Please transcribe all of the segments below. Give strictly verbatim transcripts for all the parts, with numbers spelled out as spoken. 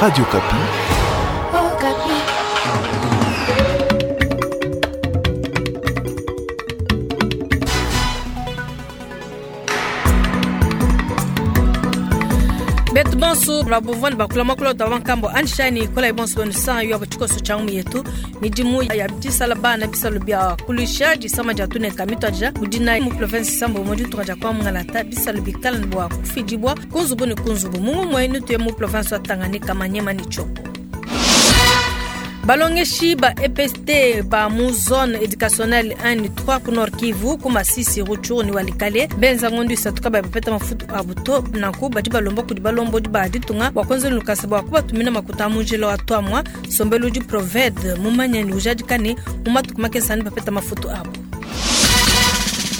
Radio Okapi. Okapi. Betu bonso babuvwani bakula makula tabankambo anshani kola ibonso benu san yo bachikoso changu yetu midimu ya disala bana bisalo bya kulisha disama dia tuneka mitwaja mudina mu province sambo mu ditunga dia kwa mungalata bisalo bikala bwa kufidibwa kunzubu ni kunzubu mungu mwenu tuye mu province wa Tanganyika Manyema ni Tshopo. Balongeshi ba E P S T ba mu zone éducationnelle un ni trois ku Nord Kivu ku Masisi Rutshuru ni Walikale benza ngondu isatu kaba bapeta mafutu abuto nanku badi balomba kudi balombo di ba ditunga bua kuenza lukasa bua kubatumina makuta a munjila wa twamwa sombelu di Proved mumanye ni ujadikane mu matuku makese ani bapeta mafutu abo.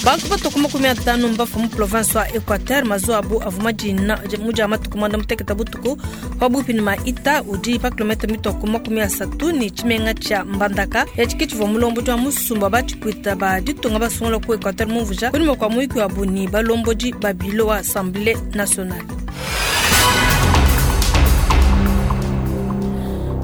Bantu batoka makumi atanu mbafa mu province wa Equateur mazu abu avuma dina muja matuku mwanda muteketa butuku pabupi ni maita udi pa kilometre mitoko makumi asatu ni tshimenga tshia Mbandaka ya tshivua mulombo tshia musumba batshipwita ba ditunga basungula ku Equateur mumvuja kunyuma kua muyuki wa buni balombodi ba bilo wa Assemblée nationale.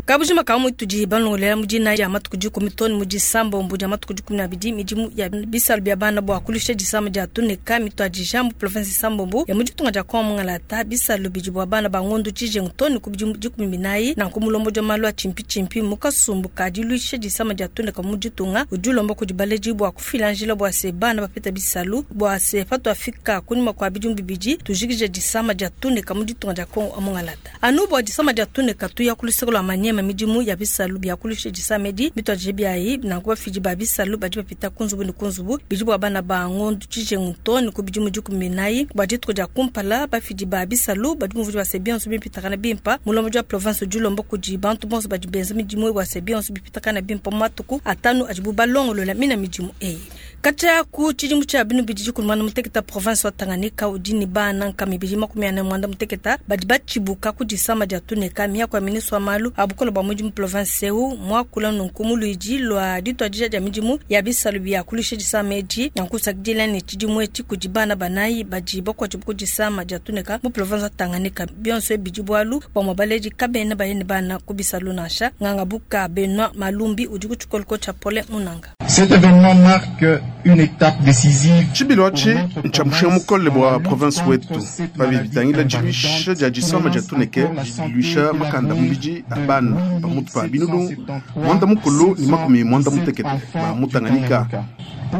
Kabujima ka mutu di balongolela mudina ya matuku dikumi toni mudi sambo mbu ya matuku dikumi na bidi midimu ya bisalu bya bana bua kulisha disama dia tuneka mitu adi jambu province sambo mbu ya mudi tunga dia kwa mungalata bisalu bidi bua bana ba ngondu tshijengu toni ku bidimu dikumi binayi na ku mulombo dia malu a tshimpi tshimpi mu kasumbu ka diluisha disama dia tuneka mudi tunga udi ulomba kudi baledi bua kufila njila bua se bana bapeta bisalu bua se patu afika kunyuma kua bidimu bibidi tujikije disama dia tuneka mudi tunga dia Kongo mungalata anu bua disama dia tuneka tuya kuluseko lua manyema midimu ya bisalu bya kulisha disamedi mitwaje byayi nanku bafidi ba bisalu badi bapita kunzubu ni kunzubu bidi bua bana ba ngondu tshijengu toni ku bidimu dikumi binayi bua dituku dia kumpala bafidi ba bisalu badi muvudi bua se bionso bipitakana bimpa mulombo dia province du Lombo kudi bantu bonso badi benza midimu bua se bionso bipitakana bimpa mu matuku atanu adibu balongolola mina midimu eyi. Katya ku tshidimu tshia binu bidi dikulumana muteketa province wa Tanganyika udi ni bana nkama ibidi makumi ane mwanda muteketa badi batshibuka ku disama dia tuneka miako ya ministre wa malu a bukole bua mudimu province eu muakula nunku mu luidi lua dituadija dia midimu ya bisalu bia kulisha disama edi nankusakidila ne tshidimu etshi kudi bana banayi badi bakuatshibu ku disama dia tuneka mu province wa Tanganyika bionso ebidi bualu bua mubaledi kabena bayene bana ku bisalu nansha nganga buka Benoit Malumbi udi ku tshikoloko tshia Paulin Munanga. Cet événement marque une étape décisive. Tshibilu atshi ntshia mushinga mukole bua province wetu pabi bitangila diluisha dia disama dia tuneke diluisha makanda mubidi a bana pamutu pa binunu mwanda mukulu ni makumi mwanda mutekete ba mu Tanganyika.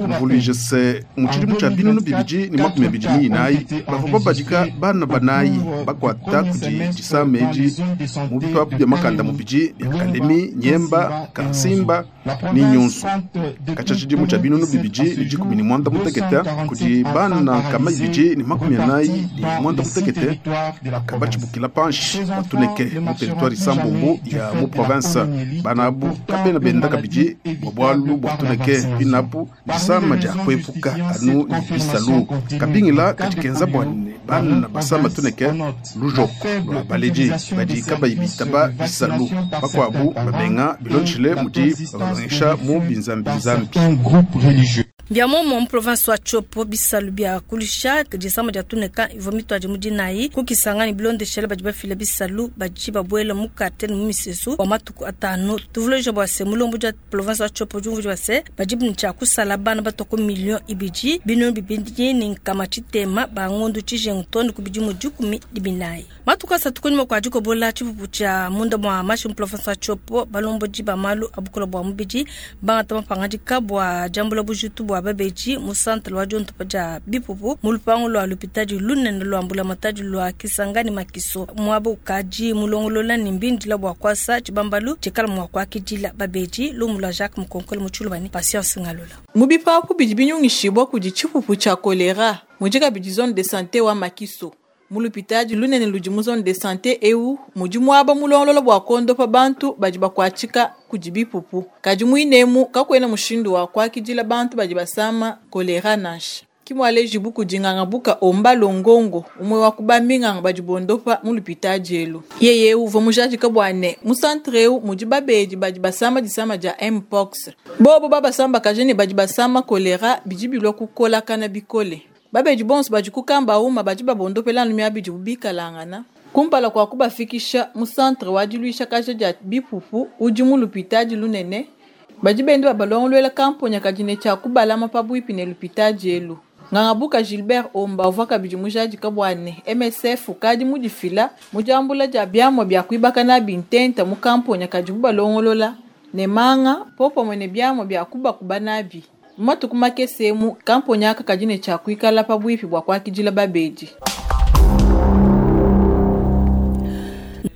Mvuluije se mu tshidimu tshia binunu bibidi ni makumi abidi ni inayi bavua babadika bana banayi bakuata kudi disama edi mu bipapu bia makanda mubidi bia Kalemi, Nyemba, Kansimba ni Nyunzu. Katshia tshidimu tshia binunu bibidi ni dikumi ni mwanda mutekete kudi bana nkama ibidi ni makumi anayi ni mwanda mutekete kabatshibukila panshi batuneke mu territoire Sambombo ya mu province bana abu kabena benda kabidi bua bualu bua tuneke binapu disama dia kuepuka anu ni bisalu kabingila kadikenza bua ne bana basama tuneke lujoko lua baledi badi kabayi bitaba bisalu bakuabu babenga bilonshile mudi babalongesha mu binzambinzambi. Bia momo mu province wa Tshopo bisalu bia kulisha disama dia tuneka ivua mitwadi mudinayi kukisanga ni bilondeshela badi bafila bisalu badi babuela mu quartier ni mu misesu wa matuku atanu tuvuleja bua se mulombo dia province wa Tshopo diumvu bua se badi bintshia kusala bana batoko million ibidi binunu bibidi ni nkama tshitema ba ngondu tshijengu toni ku bidimu dikumi dibinayi matuku asatu kunyuma kua dikobola tshipupu tshia munda mua mashi mu province wa Tshopo balombodi ba malu a bukola bua mubidi bangata mapangadika bua diambula bujitu bua babeji mu centre wa diontopa dia bipupu mu lupangu lua lupitadi lunene lua mbulamatadi lua Kisangani Makiso muaba ukadi mulongolola ni mbindila bua kuasa tshibambalu tshikala mua kuakidila babeji lumu lua Jacques Mukonkole mu Tshilubani Patience Ngalula. Mu bipapu bidi binyungishibwa kudi tshipupu tshia kolera mudi kabidi zone de santé wa Makiso mu lupitadi lunene ludi mu zone de santé eu mudi muaba mulongolola bua kondopa bantu badi bakuatshika kudi bipupu kadi muinemu kakuena mushindu wa kuakidila bantu badi basama kolera nansha kimwaleji buku dinganga buka omba longongo umwe wa kubaminganga badi bondopa mu lupitadi elu yeye uvua mujadika bua ne mu centre eu mudi babedi badi basama disama dia mpox bobo babasamba kajene badi basama kolera bidi bilua kukolakana bikole babedi bonso badi kukamba uma badi babondopela anu miabidi bubikalangana Kumpala kwa kubafikisha mu centre wa diluisha kaja dia bipupu udi mu lupitadi lunene badi bende babalongoluela kamponya kadi ne tshia kubalama pabuipi ne lupitadi elu. Ngangabuka Gilbert Omba uvua kabidi mujadika bua ne M S F ukadi mudifila mu diambula dia biamua bia kuibaka nabi ntenta mu kamponya kadibu balongolola ne manga popamue ne biamua bia kubakuba nabi. Mu matuku makese emu kamponya aka kadi ne tshia kuikala pabuipi bua kuakidila babedi.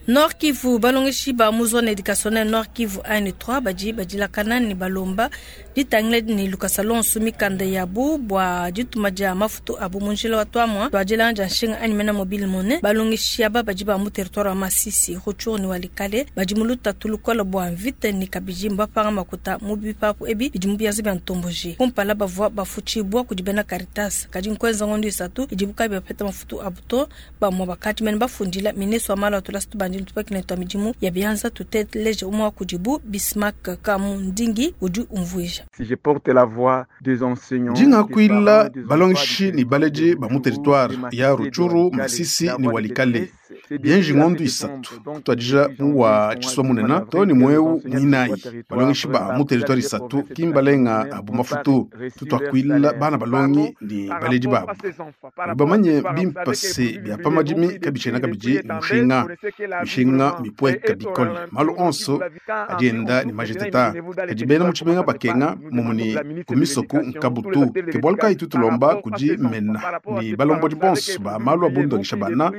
Nord Kivu balongeshi ba mu zone éducationnelle Nord Kivu un trois badi badilakana ne balomba ditangila ne lukasa lonso mikanda yabu bua dituma dia mafutu abu mu njila wa twamwa twadilanja nshinga anyi mena mobile money. Balongeshi aba badi ba mu territoire wa Masisi Rutshuru ne Walikale badi mu lutatu lukola bua mvita ne kabidi mbapanga makuta mu bipapu ebi bidi mu biaza bia ntomboji. Kumpala bavua bafutshibua kudi bena Caritas kadi nkwenza ngondo isatu idibu kabi bapeta mafutu abu to bamue bakati mene bafundila ministre wa malu a tulasa tubandi tupakine twa midimu ya bianza tuteleje umwe kudibu Bismarck Kamundingi udi umvuija. Si je porte la voix des enseignants, Jinga kuila balongeshi ni baleji ba mu territoire ya Rutshuru, Masisi ni Walikale. Bienji ngondo isatu kutwadija mu wa chiswa munena to ni mweu mwinayi balongeshi ba mu territoire isatu kimbalenga abu mafutu tutwakwila bana balongi ni baleji babo bamanye bimpase bya pamadimi kabichena kabiji ni mushinga mishinga mipweka bikole malu onso adienda ni majeteta kadi bena mu tshimenga bakenga mumuni kumisoku nkabutu ke bualu kayi tutulomba kudi mena ni balombodi bonso ba malu abundongesha bana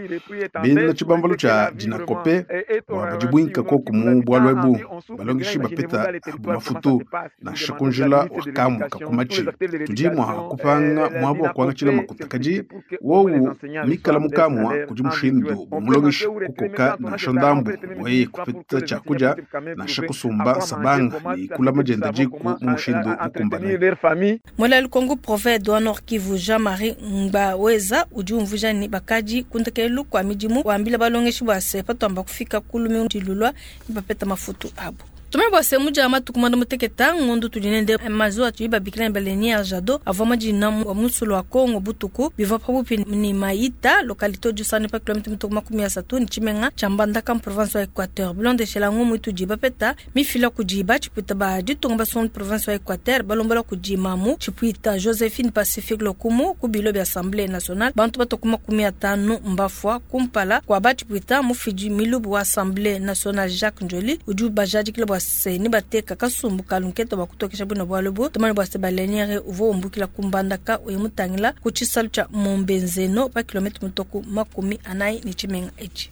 bena tshibambalu tshia dinakope bua badi buinka koku mu bualu ebu balongeshi bapeta abu mafutu nansha kunjila wa kamwa kakumachi tudi mua kupanga muabu wa kuangatshila makuta kadi wowu mikala mukamwa kudi mushindu bua mulongeshi kukoka nansha ndambu bwaye kupeta tshiakudia nansha kusumba sabanga ni kulama dienda diku mu mushindu mukumbane. Mwela Lukongo prophète wa Nord Kivu Jean-Marie Ngbaweza udi umvuija ni bakadi kundekelu kwa midimu wambila balongeshi bua se patwamba kufika kulumi dilulwa bapeta mafutu abu. Tume bua se muja matuku mwanda muteketa ngondu tudinende mazuwa tuyiba bikila balenier jado avua madina wa musulu wa Kongo butuku bivua pabupi ni Maïta localité du Sane pa kilomètre mituku makumi asatu ni Tshimenga tshia Mbandaka mu province wa Équateur. Bilondeshela ngumu itudi bapeta mifila kudi tshipuita ba ditunga basongo province wa Équateur balombola kudi mamu tshipuita Josephine Pacifique Lokumu ku bilo bya Assemblée nationale bantu batoku makumi atanu mbafwa kumpala kwa batshipuita mufidi milubu wa Assemblée nationale Jacques Njoli udi bajadikile bua se ni bateka kasumbu kalunketa bakutokesha bwino bwalubu tumani bwa se baleniere uvo umbukila kumbandaka uyimutangila ku tshisalu tshia Mombenzeno pa kilomètre mutoku makumi anayi ni tshimenga etshi.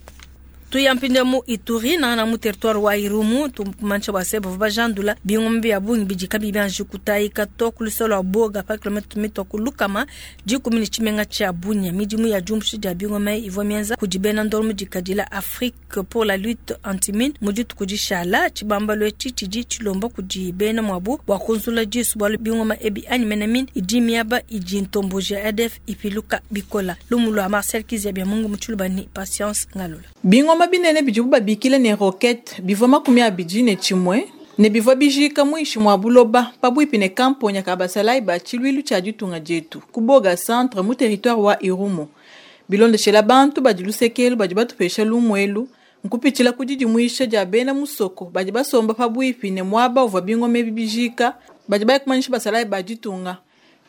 Tuyampinde mu Ituri na na mu territoire wa Irumu tumancha bwa se bava bajandula bingombe ya bungi bidika bibanji kutayika to ku lusolo wa Boga pa kilomètre mitoku lukama dikumi ni tshimenga tshia Bunia. Midimu ya jumbushi dia bingombe ivua mienza kudi bena ndolo mudikadila Afrique pour la lutte antimine mudi tukudishala tshibambalo etshi tshidi tshilomba kudi bena mwabu bua kunzula disu bua bingoma ebi anyi mene idi miaba idi ntomboji ya A D F ipiluka bikola. Lumu lwa Marcel Kizia bya Mungu mutshuluba ni Patience Ngalula. Bingoma binene bidibu babikile ne roquette bivua makumi abidi ne tshimue ne bivua bijika muinshi mua buloba pabuipi ne kamponya ka basalayi ba tshiluilu tshia ditunga dietu ku Boga centre mu territoire wa Irumu. Bilondeshela bantu badi lusekelu badi batupesha lumuelu nkupitshila ku didimuisha dia bena musoko badi basomba pabuipi ne muaba uvua bingoma ebi bijika badi bayikumanyisha basalayi ba ditunga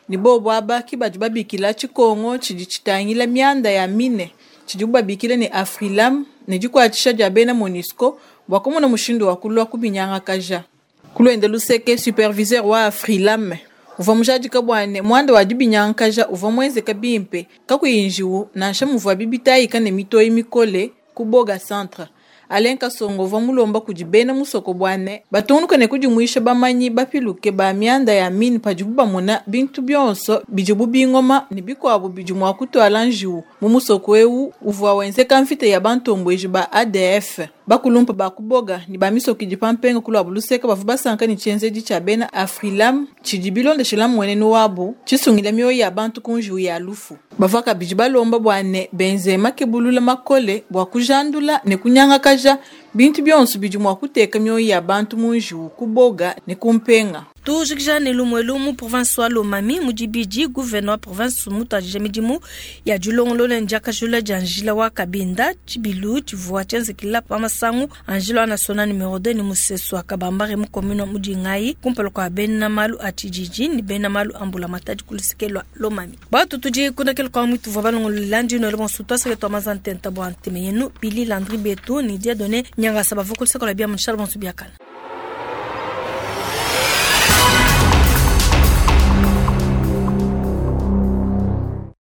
ni bobo aba ki badi babikila tshikongo tshidi tshitangila mianda ya mine tshidibu babikile ne Afrilam ne dikuatshisha dia bena MONUSCO bua kumona mushindu wa kulua kubinyangakaja. Kulwende luseke superviseur wa Afrilam uvua mujadika bua ne muanda wa dibinyangakaja uvua muenzeka bimpe kakuyi njiwu nansha muvua bibitayika ne mitoyi mikole ku Boga centre. Alain Kasongo uvua mulomba kudi bena musoko bua ne batungunuke ne kudimuisha bamanyi bapiluke ba mianda ya mine padibu bamona bintu bionso bidibu bingoma ne bikuabu bidi mua kutuala njiwu mu musoko ewu uvua wenzeka mvita ya bantombweji ba A D F. Bakulumpa ba kuboga ni ba misoko idi pampenga kulua luseka bavua basanka ne tshienzedi tshia bena Afrilam tshidi bilondeshela mmuenenu wabu tshisungila mioyo ya bantu ku njiwu ya lufu. Bavua kabidi balomba bua ne benze makebulula makole bua kujandula ne kunyangakaja bintu bionso bidi mua kuteka mioyo ya bantu mu njiwu ku Boga ne ku Mpenga. Tujikija ne lumue mu province wa Lomami mu dibidi gouverneur wa province mutuadija midimu ya dilongolola ndiakajula dia njila wa Kabinda tshibilu tshivua tshienzekela pa masangu a njila wa national numero deux ni musesu wa Kabambare mu commune Mudingayi kumpala kua bena malu a tshididi ni bena malu a mbulamatadi ku luseke lua Lomami. Batu tudi kundakela kwa mwitu vua balongolola ndino le bonso twaseke twa mazantenta bua nteme yenu Billy Landry Betu ni Dieudonné Nyangasa bavua ku luseke lua bia mu bonso biakana.